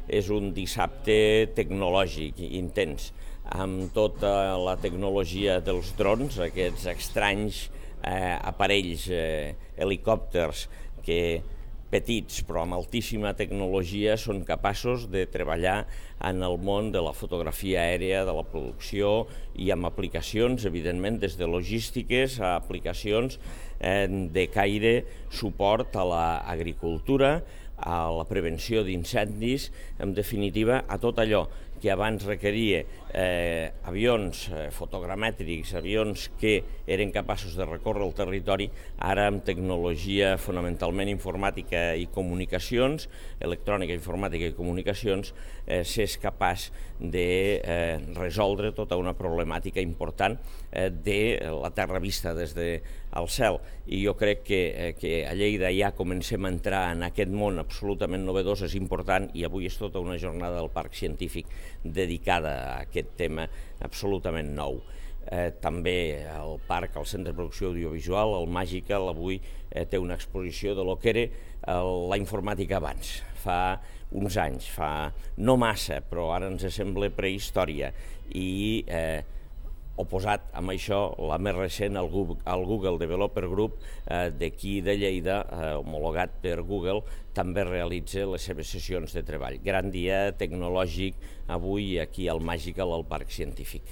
és un dissabte tecnològic intens, amb tota la tecnologia dels drons, aquests estranys aparells, helicòpters petits però amb altíssima tecnologia són capaços de treballar en el món de la fotografia aèria, de la producció i amb aplicacions, evidentment, des de logístiques a aplicacions de caire suport a l'agricultura, a la prevenció d'incendis, en definitiva, a tot allò que abans requeria avions fotogramètrics, avions que eren capaços de recórrer el territori, ara amb tecnologia fonamentalment informàtica i comunicacions, electrònica, informàtica i comunicacions, s'és capaç de resoldre tota una problemàtica important de la terra vista des del cel. I jo crec que a Lleida ja comencem a entrar en aquest món absolutament novedós, és important, i avui és tota una jornada del Parc Científic dedicada a aquest tema absolutament nou. També el parc, el Centre de Producció Audiovisual, el Magical, avui té una exposició de lo que era la informàtica abans, fa uns anys, fa no massa, però ara ens sembla prehistòria, i oposat amb això, la més recent, el Google Developer Group d'aquí de Lleida, homologat per Google, també realitza les seves sessions de treball. Gran dia tecnològic avui aquí al Magical, al Parc Científic.